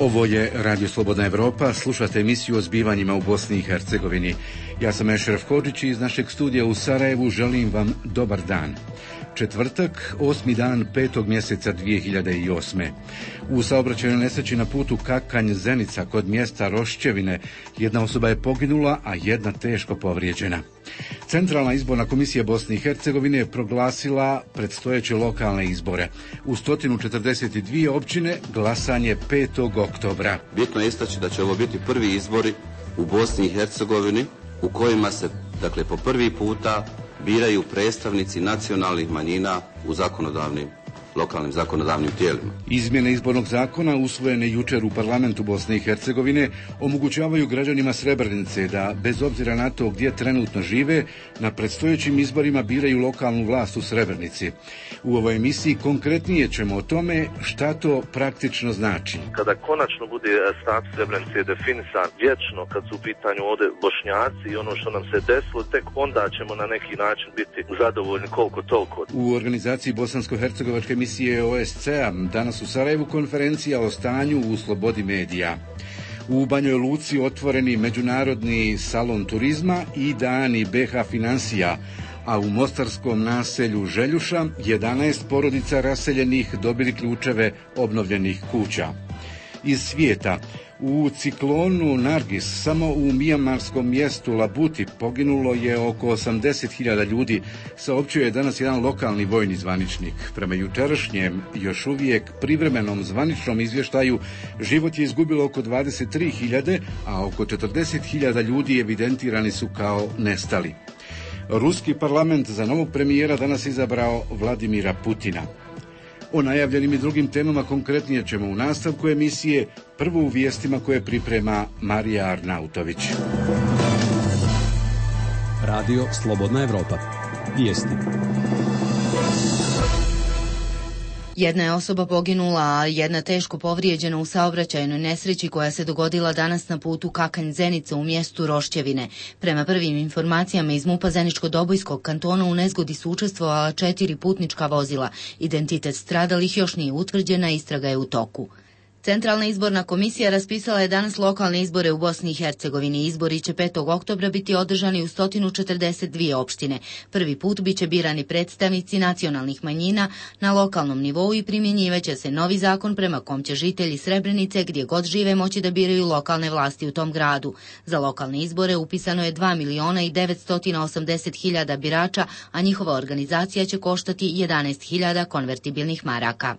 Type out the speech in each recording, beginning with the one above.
Ovo je Radio Slobodna Evropa, slušate emisiju o zbivanjima u Bosni i Hercegovini. Ja sam Ešref Hodžić i iz našeg studija u Sarajevu želim vam dobar dan. Četvrtak, 8. dan 5. mjeseca 2008. U saobraćajnoj nesreći na putu Kakanj-Zenica kod mjesta Rošćevine jedna osoba je poginula, a jedna teško povrijeđena. Centralna izborna komisija Bosne i Hercegovine je proglasila predstojeće lokalne izbore. U 142 općine glasanje 5. oktobra. Bitno je istaći da će ovo biti prvi izbori u Bosni i Hercegovini u kojima se, po prvi puta biraju predstavnici nacionalnih manjina u lokalnim zakonodavnim tijelima. Izmjene izbornog zakona usvojene jučer u parlamentu Bosne i Hercegovine omogućavaju građanima Srebrenice da, bez obzira na to gdje trenutno žive, na predstojećim izborima biraju lokalnu vlast u Srebrenici. U ovoj emisiji konkretnije ćemo o tome šta to praktično znači. Kada konačno bude status Srebrenice definisan vječno, kad su u pitanju ovdje Bošnjaci i ono što nam se desilo, tek onda ćemo na neki način biti zadovoljni koliko toliko. U organizaciji Bosansko-hercegovačke emisije OSCE-a danas u Sarajevu konferencija o stanju u slobodi medija. U Banjoj Luci otvoreni međunarodni salon turizma i dani BH financija, a u mostarskom naselju Željuša 11 porodica raseljenih dobili ključeve obnovljenih kuća. Iz svijeta, u ciklonu Nargis samo u mijamarskom mjestu Labuti poginulo je oko 80.000 ljudi, saopćio je danas jedan lokalni vojni zvaničnik. Prema jučerašnjem, još uvijek privremenom zvaničnom izvještaju, život je izgubilo oko 23.000, a oko 40.000 ljudi evidentirani su kao nestali. Ruski parlament za novog premijera danas izabrao Vladimira Putina. O najavljenim i drugim temama konkretnije ćemo u nastavku emisije, prvo u vijestima koje priprema Marija Arnautović. Radio Slobodna Evropa. Vijesti. Jedna je osoba poginula, a jedna teško povrijeđena u saobraćajnoj nesreći koja se dogodila danas na putu Kakanj-Zenica u mjestu Rošćevine. Prema prvim informacijama iz MUP-a Zeničko-Dobojskog kantona u nezgodi su učestvovala 4 putnička vozila. Identitet stradalih još nije utvrđena, istraga je u toku. Centralna izborna komisija raspisala je danas lokalne izbore u Bosni i Hercegovini. Izbori će 5. oktobra biti održani u 142 opštine. Prvi put biće birani predstavnici nacionalnih manjina na lokalnom nivou i primjenjivaće se novi zakon prema kom će žitelji Srebrenice gdje god žive moći da biraju lokalne vlasti u tom gradu. Za lokalne izbore upisano je 2.980.000 birača, a njihova organizacija će koštati 11.000 konvertibilnih maraka.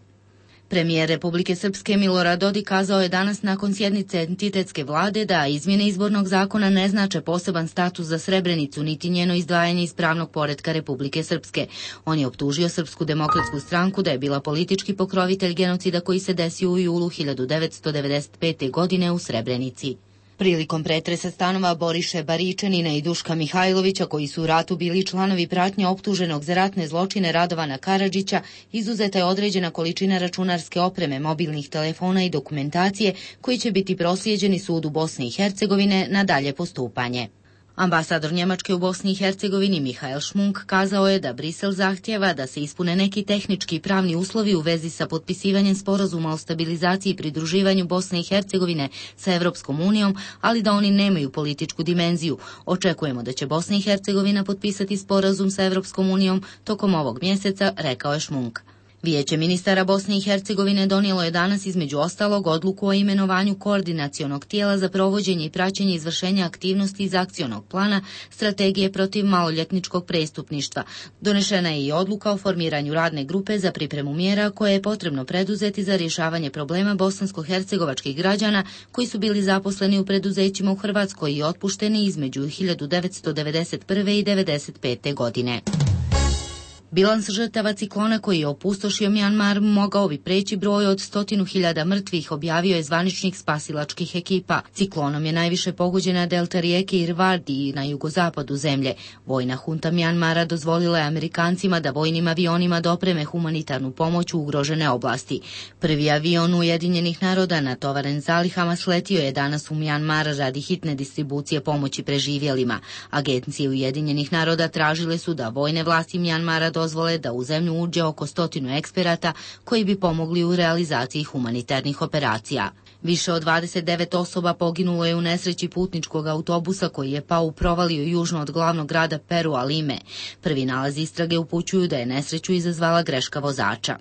Premijer Republike Srpske Milorad Dodik kazao je danas nakon sjednice entitetske vlade da izmjene izbornog zakona ne znače poseban status za Srebrenicu niti njeno izdvajanje iz pravnog poretka Republike Srpske. On je optužio Srpsku demokratsku stranku da je bila politički pokrovitelj genocida koji se desio u julu 1995. godine u Srebrenici. Prilikom pretresa stanova Boriše Baričanina i Duška Mihajlovića, koji su u ratu bili članovi pratnje optuženog za ratne zločine Radovana Karadžića, izuzeta je određena količina računarske opreme, mobilnih telefona i dokumentacije koji će biti proslijeđeni sudu Bosne i Hercegovine na dalje postupanje. Ambasador Njemačke u Bosni i Hercegovini Mihael Šmunk kazao je da Brisel zahtjeva da se ispune neki tehnički i pravni uslovi u vezi sa potpisivanjem sporazuma o stabilizaciji i pridruživanju Bosne i Hercegovine sa Evropskom unijom, ali da oni nemaju političku dimenziju. Očekujemo da će Bosna i Hercegovina potpisati sporazum sa Evropskom unijom tokom ovog mjeseca, rekao je Šmunk. Vijeće ministara Bosne i Hercegovine donijelo je danas između ostalog odluku o imenovanju koordinacionog tijela za provođenje i praćenje izvršenja aktivnosti iz akcionog plana strategije protiv maloljetničkog prestupništva. Donešena je i odluka o formiranju radne grupe za pripremu mjera koje je potrebno preduzeti za rješavanje problema bosansko-hercegovačkih građana koji su bili zaposleni u preduzećima u Hrvatskoj i otpušteni između 1991. i 1995. godine. Bilans žrtava ciklona koji je opustošio Mjanmar mogao bi preći broj od 100.000 mrtvih, objavio je zvaničnik spasilačkih ekipa. Ciklonom je najviše pogođena delta rijeke Irrawaddy na jugozapadu zemlje. Vojna hunta Mjanmara dozvolila je Amerikancima da vojnim avionima dopreme humanitarnu pomoć u ugrožene oblasti. Prvi avion Ujedinjenih naroda natovaren zalihama sletio je danas u Mjanmar radi hitne distribucije pomoći preživjelima. Agencije Ujedinjenih naroda tražile su da vojne vlasti Mjanmara dozvole da u zemlju uđe oko 100 eksperata koji bi pomogli u realizaciji humanitarnih operacija. Više od 29 osoba poginulo je u nesreći putničkog autobusa koji je pao u provaliju južno od glavnog grada Perua Lime. Prvi nalazi istrage upućuju da je nesreću izazvala greška vozača.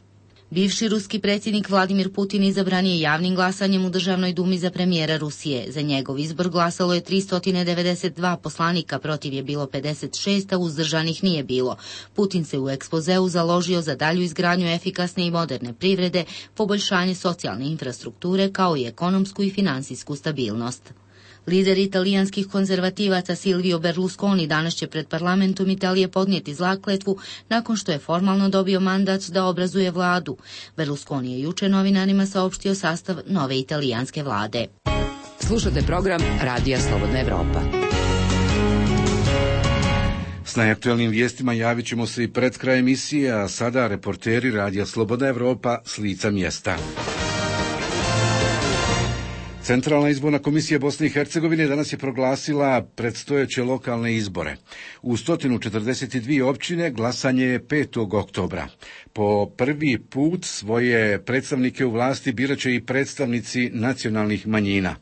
Bivši ruski predsjednik Vladimir Putin izabran je javnim glasanjem u Državnoj dumi za premijera Rusije. Za njegov izbor glasalo je 392 poslanika, protiv je bilo 56, a uzdržanih nije bilo. Putin se u ekspozeu založio za dalju izgradnju efikasne i moderne privrede, poboljšanje socijalne infrastrukture kao i ekonomsku i finansijsku stabilnost. Lider italijanskih konzervativaca Silvio Berlusconi danas će pred parlamentom Italije podnijeti zakletvu nakon što je formalno dobio mandat da obrazuje vladu. Berlusconi je juče novinarima saopštio sastav nove italijanske vlade. Slušate program Radija Slobodna Evropa. S najaktuelnim vijestima javit ćemo se i pred kraj emisije, a sada reporteri Radija Slobodna Evropa s lica mjesta. Centralna izborna komisija Bosne i Hercegovine danas je proglasila predstojeće lokalne izbore. U 142 općine glasanje je 5. oktobra. Po prvi put svoje predstavnike u vlasti birat će i predstavnici nacionalnih manjina.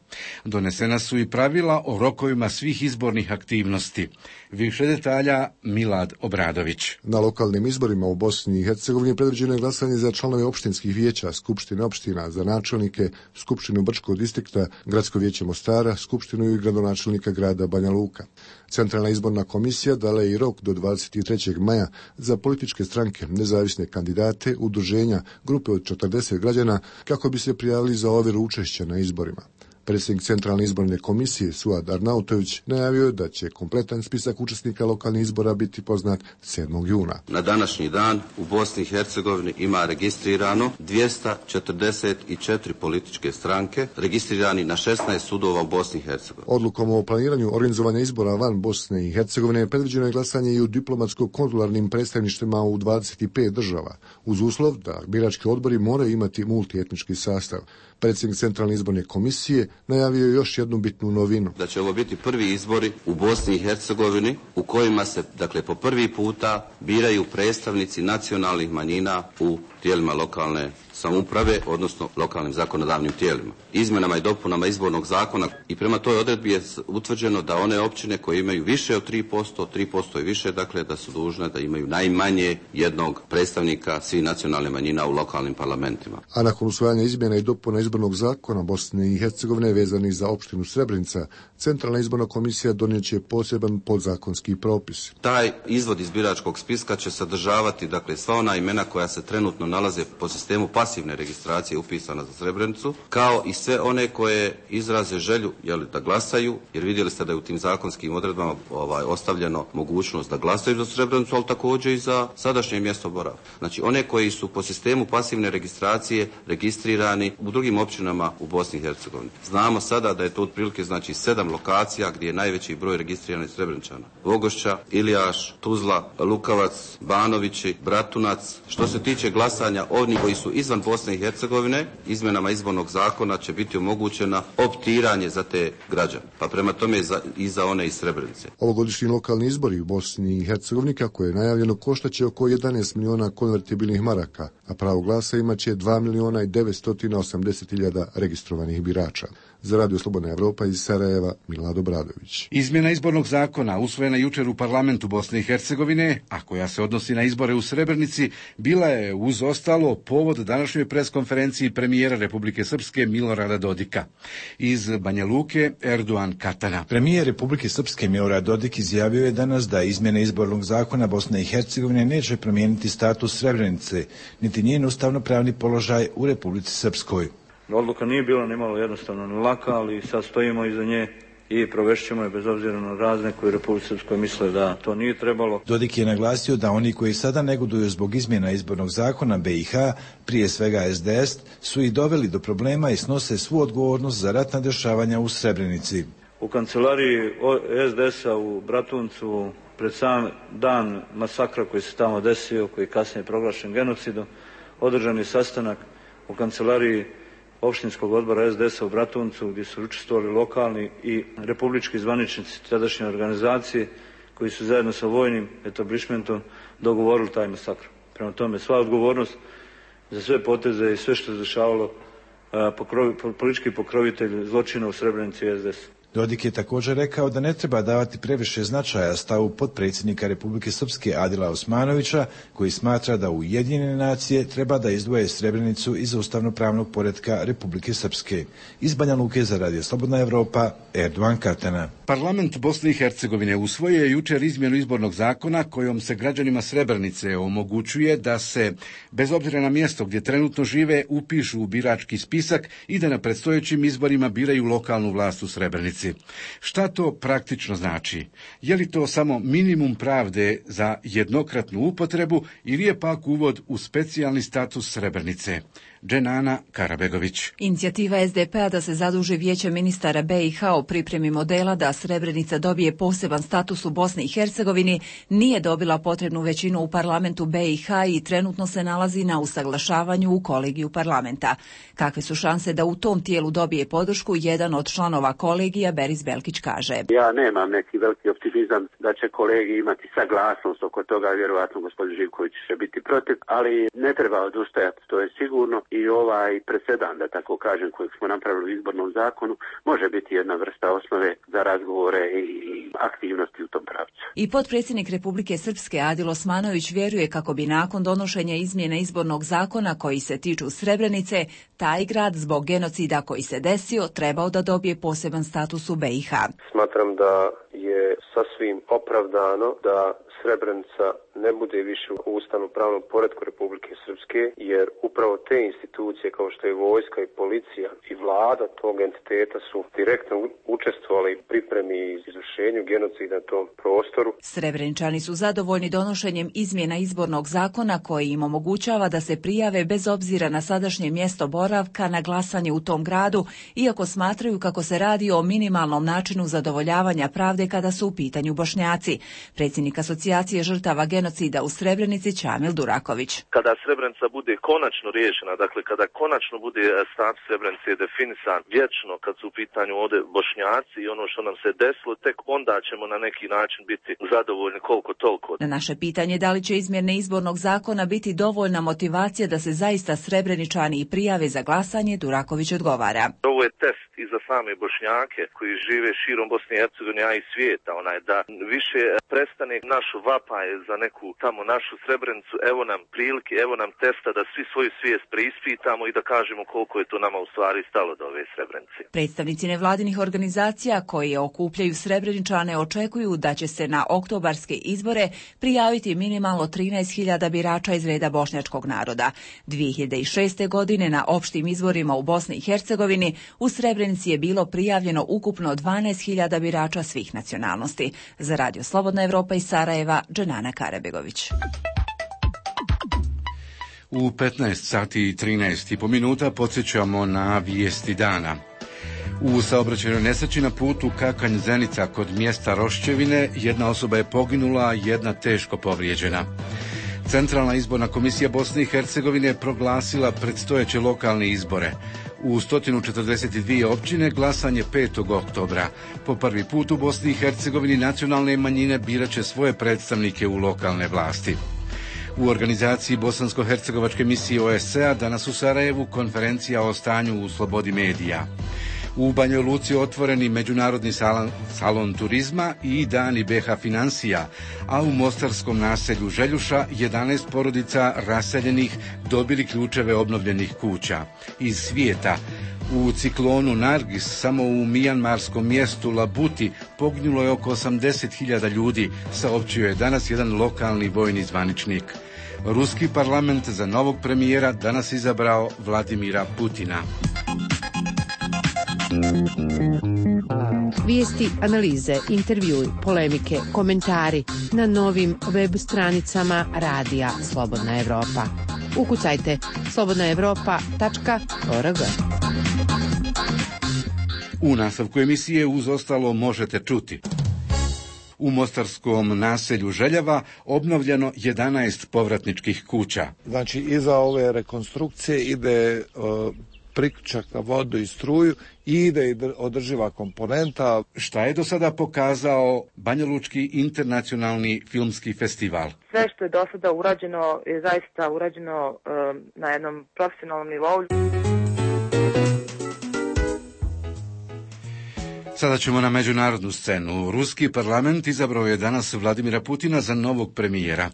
Donesena su i pravila o rokovima svih izbornih aktivnosti. Više detalja Milad Obradović. Na lokalnim izborima u Bosni i Hercegovini predviđeno je glasanje za članove opštinskih vijeća, skupštine opština, za načelnike, skupštinu Brčkog distrikta, gradsko vijeće Mostara, skupštinu i gradonačelnika grada Banja Luka. Centralna izborna komisija dala je i rok do 23. maja za političke stranke, nezavisne kandidate, udruženja, grupe od 40 građana kako bi se prijavili za ovjeru učešća na izborima. Predsjednik Centralne izborne komisije Suad Arnautović najavio je da će kompletan spisak učesnika lokalnih izbora biti poznat 7. juna. Na današnji dan u Bosni i Hercegovini ima registrirano 244 političke stranke, registrirani na 16 sudova u Bosni i Hercegovini. Odlukom o planiranju organizovanja izbora van Bosne i Hercegovine predviđeno je glasanje i u diplomatsko-konzularnim predstavništvima u 25 država, uz uslov da birački odbori moraju imati multietnički sastav. Predsjednik Centralne izborne komisije najavio je još jednu bitnu novinu. Da će ovo biti prvi izbori u Bosni i Hercegovini u kojima se, po prvi puta biraju predstavnici nacionalnih manjina u tijelima lokalne samouprave, odnosno lokalnim zakonodavnim tijelima. Izmjenama i dopunama izbornog zakona i prema toj odredbi je utvrđeno da one općine koje imaju više od 3% i više, da su dužne da imaju najmanje jednog predstavnika svih nacionalnih manjina u lokalnim parlamentima. A nakon usvajanja izmjena i dopuna izbornog zakona Bosne i Hercegovine vezanih za opštinu Srebrenica, Centralna izborna komisija donijet će poseban podzakonski propis. Taj izvod iz biračkog spiska će sadržavati, sva ona imena koja se trenutno nalaze po sistemu pasivne registracije upisana za Srebrenicu, kao i sve one koje izraze želju da glasaju, jer vidjeli ste da je u tim zakonskim odredbama ostavljeno mogućnost da glasaju za Srebrenicu, ali također i za sadašnje mjesto boravka. Znači one koji su po sistemu pasivne registracije registrirani u drugim općinama u Bosni i Hercegovini. Znamo sada da je to otprilike 7 lokacija gdje je najveći broj registriranih Srebreničana. Vogošća, Ilijaš, Tuzla, Lukavac, Banovići, Bratunac. Što se tiče glasanja onih koji su izvan Bosne i Hercegovine, izmjenama izbornog zakona će biti omogućena optiranje za te građane, pa prema tome i za one iz Srebrenice. Ovogodišnji lokalni izbori u Bosni i Hercegovini, kako je najavljeno, koštaće oko 11 miliona konvertibilnih maraka, a pravo glasa imaće 2 miliona i 980 hiljada registrovanih birača. Za Radio Slobodna Evropa iz Sarajeva, Milad Obradović. Izmjena izbornog zakona usvojena jučer u parlamentu Bosne i Hercegovine, a koja se odnosi na izbore u Srebrenici, bila je uz ostalo povod današnjoj preskonferenciji premijera Republike Srpske Milorada Dodika. Iz Banja Luke, Erdogan Katana. Premijer Republike Srpske Milorad Dodik izjavio je danas da izmjene izbornog zakona Bosne i Hercegovine neće promijeniti status Srebrenice, niti njen ustavno-pravni položaj u Republici Srpskoj. Odluka nije bila nimalo jednostavno ni laka, ali sad stojimo iza nje i provešćemo je bez obzira na razne koji u Republici Srpskoj misle da to nije trebalo. Dodik je naglasio da oni koji sada negoduju zbog izmjena izbornog zakona BiH, prije svega SDS, su ih doveli do problema i snose svu odgovornost za ratna dešavanja u Srebrenici. U kancelariji SDS-a u Bratuncu pred sam dan masakra koji se tamo desio, koji je kasnije proglašen genocidom, održan je sastanak u kancelariji opštinskog odbora SDS-a u Bratuncu gdje su učestvovali lokalni i republički zvaničnici tadašnje organizacije koji su zajedno sa vojnim etablišmentom dogovorili taj masakr. Prema tome, sva odgovornost za sve poteze i sve što se dešavalo politički pokrovitelj zločina u Srebrenici SDS. Dodik je također rekao da ne treba davati previše značaja stavu potpredsjednika Republike Srpske Adila Osmanovića, koji smatra da Ujedinjene nacije treba da izdvoje Srebrenicu iz ustavno-pravnog poretka Republike Srpske. Iz Banja Luke za Radio Slobodna Evropa, Erdogan Katana. Parlament Bosne i Hercegovine usvojio je jučer izmjenu izbornog zakona kojom se građanima Srebrenice omogućuje da se, bez obzira na mjesto gdje trenutno žive, upišu u birački spisak i da na predstojećim izborima biraju lokalnu vlast u Srebrenici. Šta to praktično znači? Je li to samo minimum pravde za jednokratnu upotrebu ili je pak uvod u specijalni status Srebrenice? Dženana Karabegović. Inicijativa SDP-a da se zaduži Vijeće ministara BiH o pripremi modela da Srebrenica dobije poseban status u Bosni i Hercegovini nije dobila potrebnu većinu u parlamentu BiH i trenutno se nalazi na usaglašavanju u kolegiju parlamenta. Kakve su šanse da u tom tijelu dobije podršku, jedan od članova kolegija, Beris Belkić, kaže. Ja nemam neki veliki optimizam da će kolegi imati saglasnost oko toga, vjerovatno gospodin Živković će biti protiv, ali ne treba odustajati, to je sigurno. I ovaj presedan, da tako kažem, kojeg smo napravili u izbornom zakonu, može biti jedna vrsta osnove za razgovore i aktivnosti u tom pravcu. I potpredsjednik Republike Srpske Adil Osmanović vjeruje kako bi nakon donošenja izmjene izbornog zakona koji se tiču Srebrenice, taj grad zbog genocida koji se desio trebao da dobije poseban status u BiH. Smatram da je sasvim opravdano da Srebrenica ne bude više u ustavno-pravnom poretku Republike Srpske, jer upravo te institucije kao što je vojska i policija i vlada tog entiteta su direktno učestvovali u pripremi i izvršenju genocida na tom prostoru. Srebreničani su zadovoljni donošenjem izmjena izbornog zakona koji im omogućava da se prijave bez obzira na sadašnje mjesto boravka na glasanje u tom gradu, iako smatraju kako se radi o minimalnom načinu zadovoljavanja pravde kada su u pitanju Bošnjaci. Predsjednik Asocijacije žrtava genocida u Srebrenici Čamil Duraković. Kada Srebrenica bude konačno riješena, dakle kada konačno bude status Srebrenice definisan vječno kad su u pitanju ovdje Bošnjaci i ono što nam se desilo, tek onda ćemo na neki način biti zadovoljni koliko toliko. Na naše pitanje da li će izmjene izbornog zakona biti dovoljna motivacija da se zaista Srebreničani i prijave za glasanje, Duraković odgovara. Ovo je test i za same Bošnjake koji žive širom Bosne i Hercegovine, a i svijeta, da više prestane našu vapaj za neku tamo našu Srebrenicu, evo nam prilike, evo nam testa da svi svoju svijest preispitamo i da kažemo koliko je to nama u stvari stalo do ove Srebrenice. Predstavnici nevladinih organizacija koji okupljaju Srebreničane očekuju da će se na oktobarske izbore prijaviti minimalno 13.000 birača iz reda bošnjačkog naroda. 2006. godine na opštim izborima u Bosni i Hercegovini u Srebrenici je bilo prijavljeno ukupno 12.000 birača svih nacionalnosti. Za Radio Slobodna Evropa iz Sarajeva, Dženana Karabegović. U 15 sati i 13,5 minuta podsjećamo na vijesti dana. U saobraćajnoj nesreći na putu Kakanj-Zenica kod mjesta Rošćevine jedna osoba je poginula, jedna teško povrijeđena. Centralna izborna komisija Bosne i Hercegovine je proglasila predstojeće lokalne izbore. U 142 općine glasanje 5. oktobra. Po prvi put u Bosni i Hercegovini nacionalne manjine biraće svoje predstavnike u lokalne vlasti. U organizaciji bosansko-hercegovačke misije OSCE-a danas u Sarajevu konferencija o stanju u slobodi medija. U Banjoj Luci otvoreni međunarodni salon turizma i dani BiH financija, a u mostarskom naselju Željuša 11 porodica raseljenih dobili ključeve obnovljenih kuća. Iz svijeta, u ciklonu Nargis samo u mijanmarskom mjestu Labuti poginulo je oko 80.000 ljudi, saopćio je danas jedan lokalni vojni zvaničnik. Ruski parlament za novog premijera danas izabrao Vladimira Putina. Vijesti, analize, intervjui, polemike, komentari na novim web stranicama Radija Slobodna Evropa. Ukucajte slobodnaevropa.org. U nastavku emisije uz ostalo možete čuti. U mostarskom naselju Željava obnovljeno 11 povratničkih kuća. Znači, iza ove rekonstrukcije ide priključak na vodu i struju i ide i održiva komponenta. Šta je do sada pokazao Banjalučki internacionalni filmski festival? Sve što je do sada urađeno je zaista urađeno na jednom profesionalnom nivou. Sada ćemo na međunarodnu scenu. Ruski parlament izabrao je danas Vladimira Putina za novog premijera.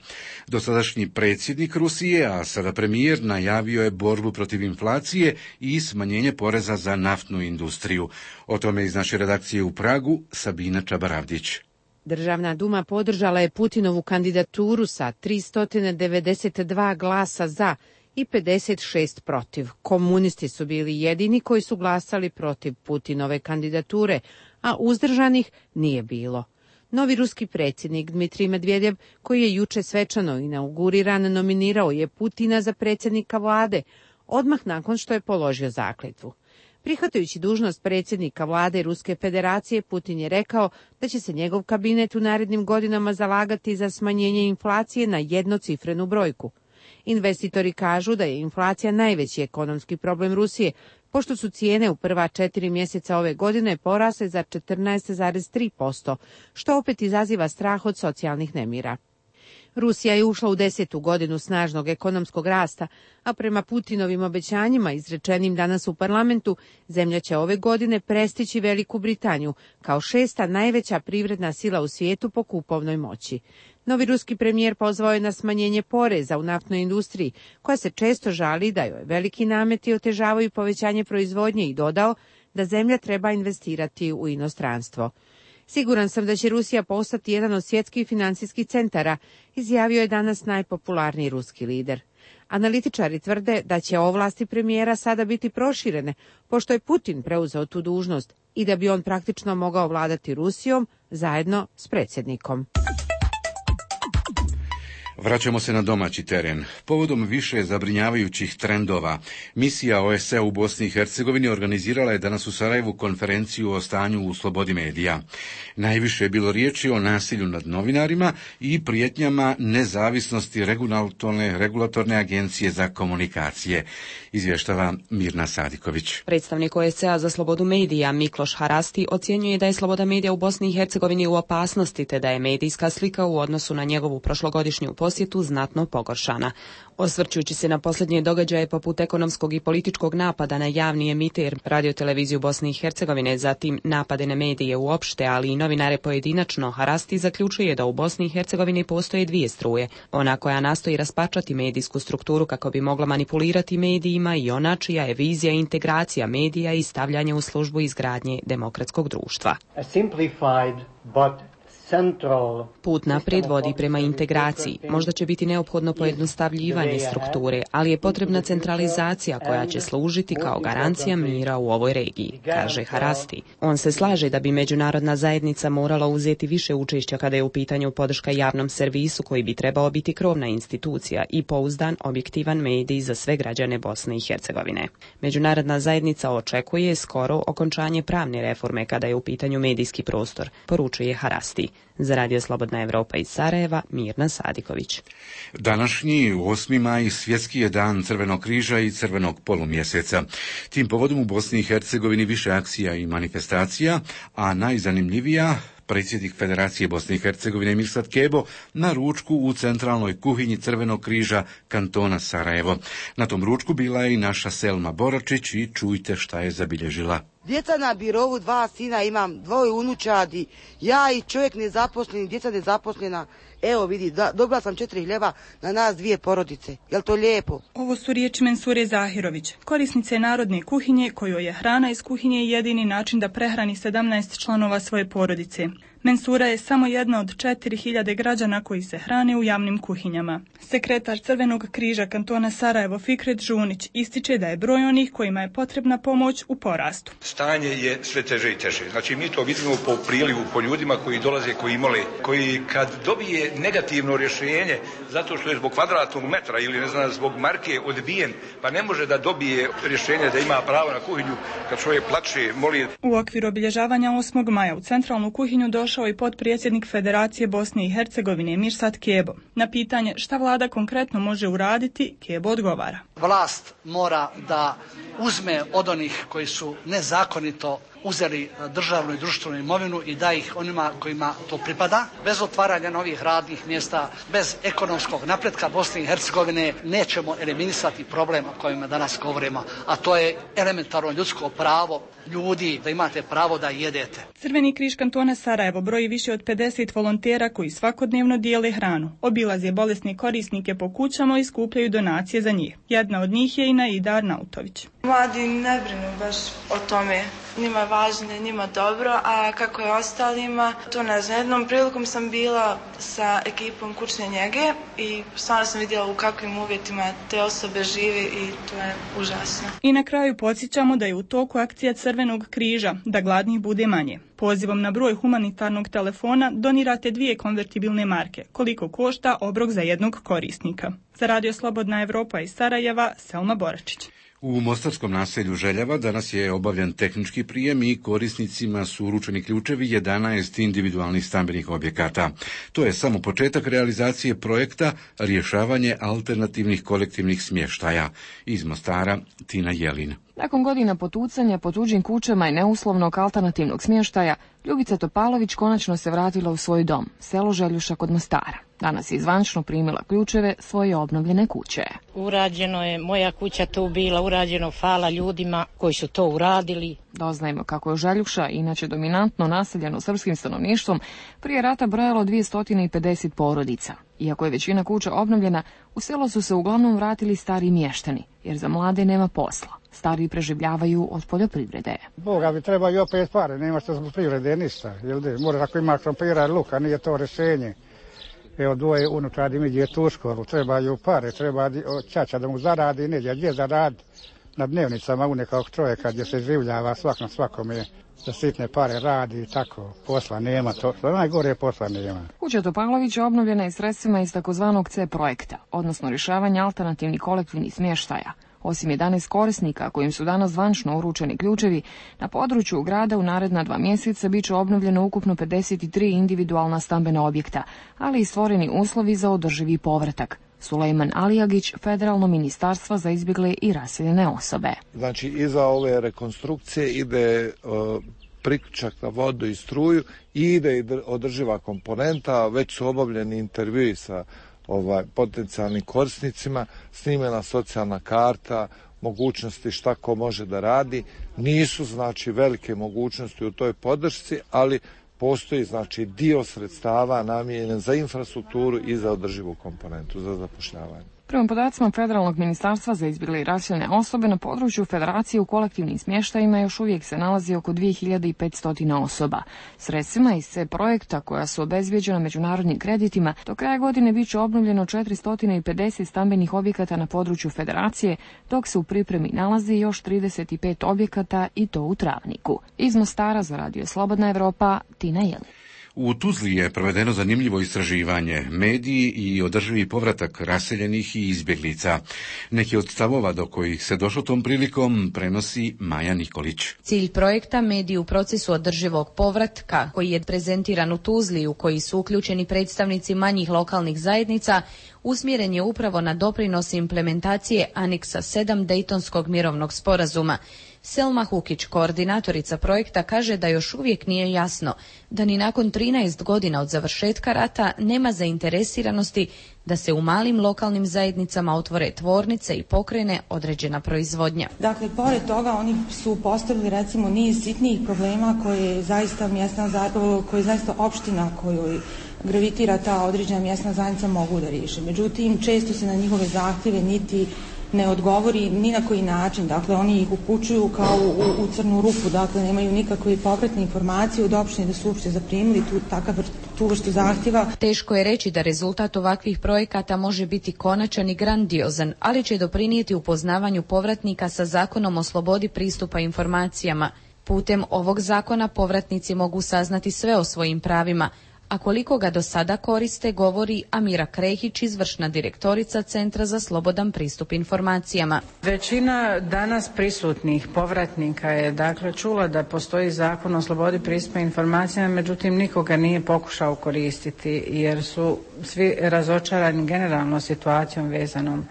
Dosadašnji predsjednik Rusije, a sada premijer, najavio je borbu protiv inflacije i smanjenje poreza za naftnu industriju. O tome iz naše redakcije u Pragu Sabina Čabaravdić. Državna duma podržala je Putinovu kandidaturu sa 392 glasa za i 56 protiv. Komunisti su bili jedini koji su glasali protiv Putinove kandidature, a uzdržanih nije bilo. Novi ruski predsjednik Dmitrij Medvedev, koji je juče svečano inauguriran, nominirao je Putina za predsjednika vlade, odmah nakon što je položio zakletvu. Prihvatajući dužnost predsjednika vlade Ruske federacije, Putin je rekao da će se njegov kabinet u narednim godinama zalagati za smanjenje inflacije na jednocifrenu brojku. Investitori kažu da je inflacija najveći ekonomski problem Rusije, pošto su cijene u prva 4 mjeseca ove godine porasle za 14,3%, što opet izaziva strah od socijalnih nemira. Rusija je ušla u 10. godinu snažnog ekonomskog rasta, a prema Putinovim obećanjima izrečenim danas u parlamentu, zemlja će ove godine prestići Veliku Britaniju kao 6. najveća privredna sila u svijetu po kupovnoj moći. Novi ruski premijer pozvao je na smanjenje poreza u naftnoj industriji, koja se često žali da joj veliki nameti otežavaju povećanje proizvodnje, i dodao da zemlja treba investirati u inostranstvo. Siguran sam da će Rusija postati jedan od svjetskih financijskih centara, izjavio je danas najpopularniji ruski lider. Analitičari tvrde da će ovlasti premijera sada biti proširene, pošto je Putin preuzeo tu dužnost i da bi on praktično mogao vladati Rusijom zajedno s predsjednikom. Vraćamo se na domaći teren. Povodom više zabrinjavajućih trendova, misija OSCE u Bosni i Hercegovini organizirala je danas u Sarajevu konferenciju o stanju u slobodi medija. Najviše je bilo riječi o nasilju nad novinarima i prijetnjama nezavisnosti regulatorne agencije za komunikacije, izvještava Mirna Sadiković. Predstavnik OSCE-a za slobodu medija Mikloš Harasti ocjenjuje da je sloboda medija u Bosni i Hercegovini u opasnosti, te da je medijska slika u odnosu na njegovu prošlogodišnju posjetu znatno pogoršana. Osvrćući se na posljednje događaje poput ekonomskog i političkog napada na javni emiter radioteleviziju Bosne i Hercegovine, zatim napade na medije uopšte, ali i novinare pojedinačno, Harasti zaključuje da u Bosni i Hercegovini postoje dvije struje. Ona koja nastoji raspačati medijsku strukturu kako bi mogla manipulirati medijima i ona čija je vizija integracija medija i stavljanje u službu izgradnje demokratskog društva. Put naprijed vodi prema integraciji. Možda će biti neophodno pojednostavljivanje strukture, ali je potrebna centralizacija koja će služiti kao garancija mira u ovoj regiji, kaže Harasti. On se slaže da bi međunarodna zajednica morala uzeti više učešća kada je u pitanju podrška javnom servisu koji bi trebao biti krovna institucija i pouzdan, objektivan medij za sve građane Bosne i Hercegovine. Međunarodna zajednica očekuje skoro okončanje pravne reforme kada je u pitanju medijski prostor, poručuje Harasti. Za Radio Slobodna Evropa iz Sarajeva, Mirna Sadiković. Današnji 8. maj svjetski je dan Crvenog križa i Crvenog polumjeseca. Tim povodom u Bosni i Hercegovini više akcija i manifestacija, a najzanimljivija predsjednik Federacije Bosne i Hercegovine Mirsad Kebo na ručku u centralnoj kuhinji Crvenog križa kantona Sarajevo. Na tom ručku bila je i naša Selma Boračić i čujte šta je zabilježila. Djeca na birovu, 2 sina, imam 2 unučadi, ja i čovjek nezaposleni, djeca nezaposlena. Evo vidi, dobila sam 4 hljeba na nas 2 porodice. Jel to lijepo? Ovo su riječi Mensure Zahirović, korisnice narodne kuhinje, kojoj je hrana iz kuhinje jedini način da prehrani 17 članova svoje porodice. Mensura je samo jedna od 4000 građana koji se hrane u javnim kuhinjama. Sekretar Crvenog križa kantona Sarajevo Fikret Žunić ističe da je broj onih kojima je potrebna pomoć u porastu. Stanje je sve teže i teže. Znači mi to vidimo po prilivu, po ljudima koji dolaze, koji mole, koji kad dobije negativno rješenje zato što je zbog kvadratnog metra ili ne znam zbog marke odbijen, pa ne može da dobije rješenje da ima pravo na kuhinju, kad čovjek plače, moli. U okviru obilježavanja 8. maja u centralnu kuhinju došao i potpredsjednik Federacije Bosne i Hercegovine Mirsad Kebo. Na pitanje šta vlada konkretno može uraditi, Kebo odgovara. Vlast mora da uzme od onih koji su nezakonito uzeli državnu i društvenu imovinu i da ih onima kojima to pripada. Bez otvaranja novih radnih mjesta, bez ekonomskog napretka Bosne i Hercegovine nećemo eliminisati problem o kojima danas govorimo, a to je elementarno ljudsko pravo ljudi da imate pravo da jedete. Crveni križ kantona Sarajevo broji više od 50 volontera koji svakodnevno dijele hranu. Obilaze bolesne korisnike po kućama i skupljaju donacije za njih. Jedna od njih je i Naida Arnautović. Mladi ne brinu baš o tome. Njima je važno, njima dobro, a kako je ostalima, to ne znam. Jednom prilikom sam bila sa ekipom kućne njege i stvarno sam vidjela u kakvim uvjetima te osobe žive i to je užasno. I na kraju podsjećamo da je u toku akcija Crvenog križa, da gladnih bude manje. Pozivom na broj humanitarnog telefona donirate 2 konvertibilne marke, koliko košta obrok za jednog korisnika. Za Radio Slobodna Evropa iz Sarajeva, Selma Boračić. U mostarskom naselju Željava danas je obavljen tehnički prijem i korisnicima su uručeni ključevi 11 individualnih stambenih objekata. To je samo početak realizacije projekta rješavanje alternativnih kolektivnih smještaja. Iz Mostara, Tina Jelin. Nakon godina potucanja po tuđim kućama i neuslovnog alternativnog smještaja, Ljubica Topalović konačno se vratila u svoj dom, selo Željuša kod Mostara. Danas je zvančno primila ključeve svoje obnovljene kuće. Urađeno je, moja kuća tu bila, urađeno, hvala ljudima koji su to uradili. Doznajemo kako je Željuša, inače dominantno naseljeno srpskim stanovništvom, prije rata brojalo 250 porodica. Iako je većina kuća obnovljena, u selo su se uglavnom vratili stari mještani, jer za mlade nema posla. Stari preživljavaju od poljoprivrede. Boga bi treba i opet pare, nema što zbog privrede ništa. Mora ako ima krompira i luka, nije to rješenje. Evo 2 unučadi mi djetu u školu, trebaju pare, treba ćaća da mu zaradi, neđe gdje zaradi na dnevnicama u nekog čovjeka gdje se življava svakome za sitne pare radi i tako, posla nema, to najgore posla nema. Kuća Topalovića obnovljena je sredstvima iz takozvanog C projekta, odnosno rješavanja alternativnih kolektivnih smještaja. Osim 11 korisnika kojim su danas zvančno uručeni ključevi, na području grada u naredna 2 mjeseca bit će obnovljeno ukupno 53 individualna stambena objekta, ali i stvoreni uslovi za održivi povratak. Sulejman Alijagić, Federalno ministarstvo za izbjegle i raseljene osobe. Znači, iza ove rekonstrukcije ide priključak na vodu i struju i ide održiva komponenta, već su obavljeni intervjui sa potencijalnim korisnicima, snimena socijalna karta, mogućnosti šta ko može da radi. Nisu znači velike mogućnosti u toj podršci, ali postoji znači dio sredstava namijenjen za infrastrukturu i za održivu komponentu, za zapošljavanje. Prema podacima Federalnog ministarstva za izbjegle i raseljene osobe, na području Federacije u kolektivnim smještajima još uvijek se nalazi oko 2500 osoba. Sredstvima iz C projekta, koja su obezbijeđena međunarodnim kreditima, do kraja godine bit će obnovljeno 450 stambenih objekata na području Federacije, dok se u pripremi nalazi još 35 objekata i to u Travniku. Iz Mostara za Radio Slobodna Evropa, Tina Jelin. U Tuzli je provedeno zanimljivo istraživanje, mediji i održivi povratak raseljenih i izbjeglica. Neki od stavova do kojih se došlo tom prilikom prenosi Maja Nikolić. Cilj projekta Mediji u procesu održivog povratka, koji je prezentiran u Tuzli, u koji su uključeni predstavnici manjih lokalnih zajednica, usmjeren je upravo na doprinos implementacije aneksa 7 Dejtonskog mirovnog sporazuma. Selma Hukić, koordinatorica projekta, kaže da još uvijek nije jasno da ni nakon 13 godina od završetka rata nema zainteresiranosti da se u malim lokalnim zajednicama otvore tvornice i pokrene određena proizvodnja. Dakle, pored toga oni su postavili recimo niz sitnijih problema koje zaista opština kojoj gravitira ta određena mjesna zajednica mogu da riješe. Međutim, često se na njihove zahtjeve niti ne odgovori ni na koji način, dakle oni ih upućuju kao u crnu rupu, dakle nemaju nikakve povratne informacije od opštine da su uopšte zaprimili tu vrstu zahtjeva. Teško je reći da rezultat ovakvih projekata može biti konačan i grandiozan, ali će doprinijeti upoznavanju povratnika sa Zakonom o slobodi pristupa informacijama. Putem ovog zakona povratnici mogu saznati sve o svojim pravima, a koliko ga do sada koriste, govori Amira Krehić, izvršna direktorica Centra za slobodan pristup informacijama. Većina danas prisutnih povratnika je dakle čula da postoji Zakon o slobodi pristupa informacijama, međutim nikoga nije pokušao koristiti jer su svi razočarani generalno situacijom vezanom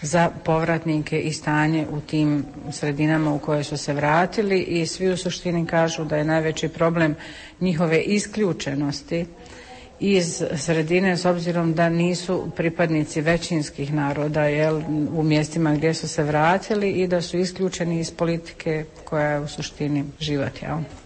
za povratnike i stanje u tim sredinama u koje su se vratili i svi u suštini kažu da je najveći problem njihove isključenosti iz sredine s obzirom da nisu pripadnici većinskih naroda u mjestima gdje su se vratili i da su isključeni iz politike koja je u suštini život.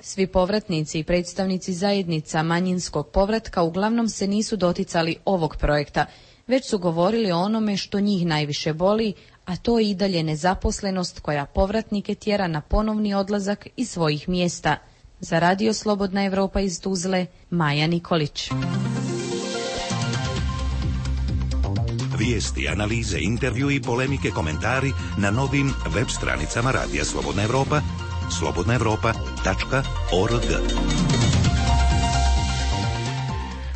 Svi povratnici i predstavnici zajednica manjinskog povratka uglavnom se nisu doticali ovog projekta, već su govorili o onome što njih najviše boli, a to je i dalje nezaposlenost koja povratnike tjera na ponovni odlazak iz svojih mjesta. Za Radio Slobodna Evropa iz Tuzle, Maja Nikolić. Vijesti, analize, intervju i polemike, komentari na novim web stranicama Radija Slobodna Evropa, slobodnaevropa.org.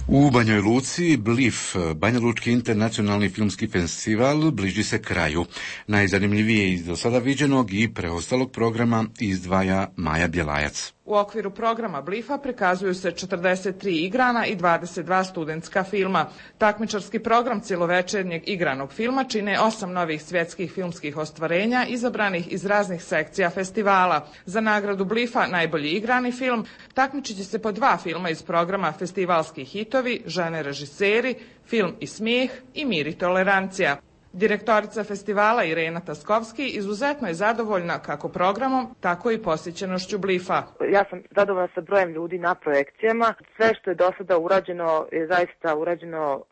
U Banjoj Luci BLIF, Banja Lučki internacionalni filmski festival, bliži se kraju. Najzanimljivije iz do sada viđenog i preostalog programa izdvaja Maja Bjelajac. U okviru programa BLIF-a prikazuju se 43 igrana i 22 studentska filma. Takmičarski program cjelovečernjeg igranog filma čine 8 novih svjetskih filmskih ostvarenja izabranih iz raznih sekcija festivala. Za nagradu BLIF-a najbolji igrani film takmičit će se po 2 filma iz programa Festivalski hitovi, Žene režiseri, Film i smijeh i Mir i tolerancija. Direktorica festivala Irena Taskovski izuzetno je zadovoljna kako programom, tako i posjećenošću BLIF-a. Ja sam zadovoljna sa brojem ljudi na projekcijama. Sve što je do sada urađeno je zaista urađeno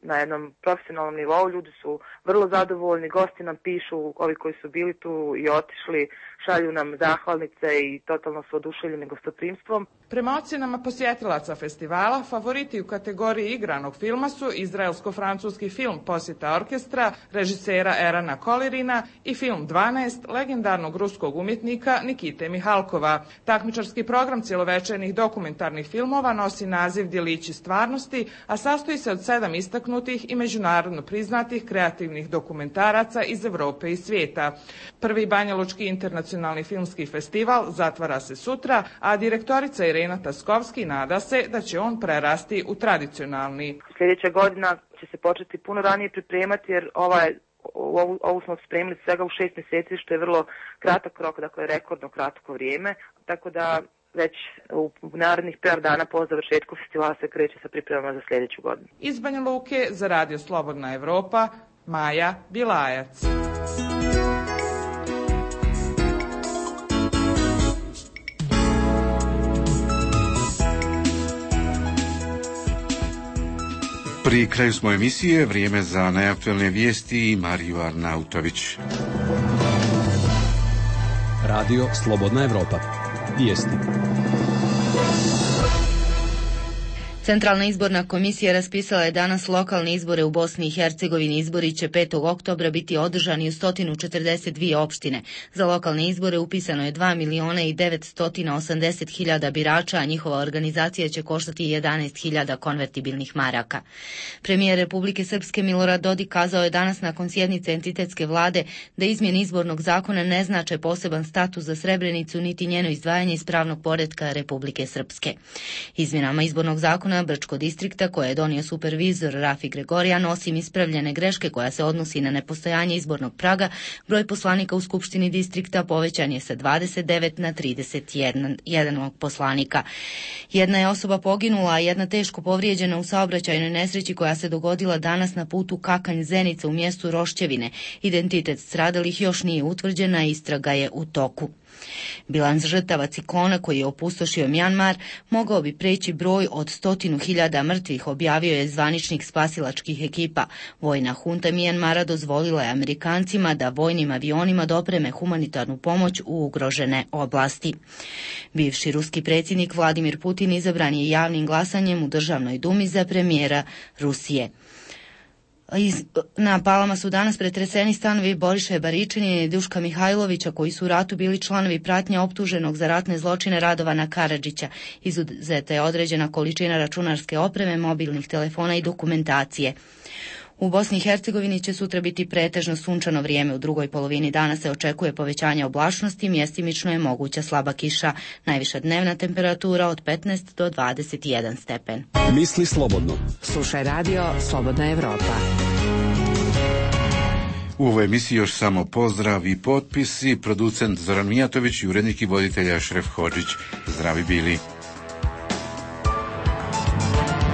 na jednom profesionalnom nivou. Ljudi su vrlo zadovoljni, gosti nam pišu, ovi koji su bili tu i otišli, šalju nam zahvalnice i totalno su oduševljeni gostoprimstvom. Prema ocjenama posjetilaca festivala, favoriti u kategoriji igranog filma su izraelsko-francuski film Posjeta orkestra, režisera Erana Kolirina i film 12 legendarnog ruskog umjetnika Nikite Mihalkova. Takmičarski program cjelovečernih dokumentarnih filmova nosi naziv Djelići stvarnosti, a sastoji se od 7 istaknutih i međunarodno priznatih kreativnih dokumentaraca iz Europe i svijeta. Prvi Banja Lučki internacionalni filmski festival zatvara se sutra, a direktorica Irena Taskovski nada se da će on prerasti u tradicionalni. Sljedeća godina će se početi puno ranije pripremati jer ovu smo spremili svega u 6 mjeseci, što je vrlo kratak rok, dakle rekordno kratko vrijeme, tako da već u narednih par dana po završetku festivala se kreće sa pripremama za sljedeću godinu. Iz Banja Luke za Radio Slobodna Evropa, Maja Bilajac. Pri kraju smo emisije, vrijeme za najaktualne vijesti i Mariju Arnautović. Radio Slobodna Evropa. Vijesti. Centralna izborna komisija raspisala je danas lokalne izbore u Bosni i Hercegovini. Izbori će 5. oktobra biti održani u 142 opštine. Za lokalne izbore upisano je 2.980.000 birača, a njihova organizacija će koštati 11.000 konvertibilnih maraka. Premijer Republike Srpske Milorad Dodik kazao je danas nakon sjednice entitetske vlade da izmjene izbornog zakona ne znače poseban status za Srebrenicu niti njeno izdvajanje iz pravnog poretka Republike Srpske. Izmjenama izbornog zakona Brčko distrikta koje je donio supervizor Rafi Gregorijan, osim ispravljene greške koja se odnosi na nepostojanje izbornog praga, broj poslanika u Skupštini distrikta povećan je sa 29 na 31 poslanika. Jedna je osoba poginula, a jedna teško povrijeđena u saobraćajnoj nesreći koja se dogodila danas na putu Kakanj-Zenica u mjestu Rošćevine. Identitet stradalih još nije utvrđen, a istraga je u toku. Bilans žrtava ciklona koji je opustošio Mjanmar mogao bi preći broj od 100.000 mrtvih, objavio je zvaničnik spasilačkih ekipa. Vojna hunta Mjanmara dozvolila je Amerikancima da vojnim avionima dopreme humanitarnu pomoć u ugrožene oblasti. Bivši ruski predsjednik Vladimir Putin izabran je javnim glasanjem u Državnoj dumi za premijera Rusije. Na Palama su danas pretreseni stanovi Boriše Baričanina i Duška Mihajlovića, koji su u ratu bili članovi pratnje optuženog za ratne zločine Radovana Karadžića. Izuzeta je određena količina računarske opreme, mobilnih telefona i dokumentacije. U Bosni i Hercegovini će sutra biti pretežno sunčano vrijeme. U drugoj polovini dana se očekuje povećanje oblačnosti, mjestimično je moguća slaba kiša. Najviša dnevna temperatura od 15 do 21 stepen. Misli slobodno. Slušaj Radio Slobodna Evropa. U ovoj emisiji još samo pozdrav i potpisi, producent Zoran Mijatović i urednik i voditelja Šref Hodžić. Zdravi bili.